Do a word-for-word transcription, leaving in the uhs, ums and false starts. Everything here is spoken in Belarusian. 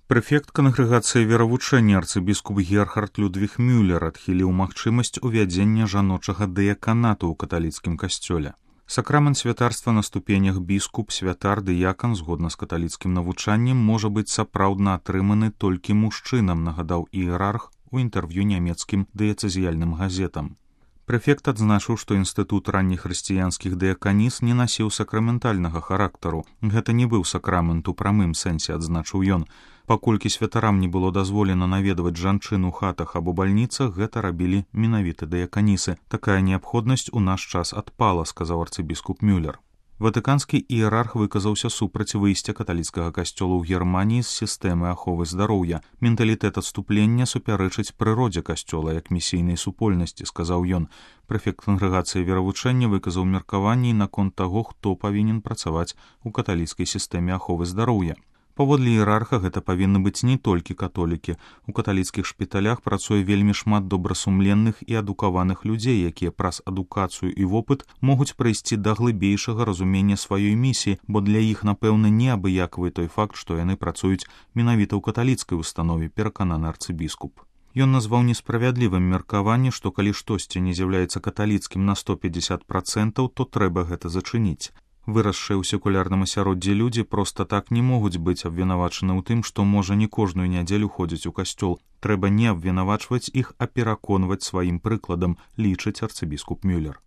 Прэфект кангрэгацыі веравучэння арцыбіскуп Герхард Людвіг Мюллер адхіліў магчымасць увядзення жаночага дыяканату ў каталіцкім касцёле. Сакрамент святарства на ступенях біскуп, святар, дыякан, згодна з каталіцкім навучаннем, можа быць сапраўдна атрыманы толькі мужчынам, нагадаў іерарх у інтэрв'ю нямецкім дыяцэзіяльным газетам. Прэфект адзначыў, што інстытут раннехрысціянскіх дыяканіс не насіў сакраментальнага характару. Гэта не быў сакрамент у прамым сэнсе, адзначыў ён. Паколькі святарам не было дазволена наведваць жанчын у хатах або бальніцах, гэта рабілі менавіта дыяканісы. Такая неабходнасць у наш час адпала, сказаў арцыбіскуп Мюллер. Ватыканскі іерарх выказаўся супраць выйсця каталіцкага касцёла ў Германіі з сістэмы аховы здароўя. Менталітэт адступлення супярэчыць прыродзе касцёла як місійнай супольнасці, сказаў ён. Прэфект кангрэгацыі веравучэння выказаў меркаванні наконт таго, хто павінен працаваць у каталіцкай сістэме аховы здароўя. Паводле іерарха гэта павінны быць не толькі католікі. У каталіцкіх шпіталях працуе вельмі шмат добрасумленных і адукаваных людзей, якія праз адукацыю і вопыт могуць прыйсці да глыбейшага разумення сваёй місіі, бо для іх, напэўна, неабыякавы той факт, што яны працуюць менавіта ў каталіцкай установе, перакананы арцыбіскуп. Ён назваў несправядлівым меркаванне, што калі штосьці не з'яўляецца каталіцкім на сто пятьдесят процентов, то трэба гэта зачыніць. Вырасшыя ў секулярным асяроддзі людзі проста так не могуць быць абвінавачаны ў тым, што можа не кожную нядзелю ходзіць у касцёл. Трэба не абвінавачваць іх, а пераконваць сваім прыкладам, лічыць арцыбіскуп Мюллер.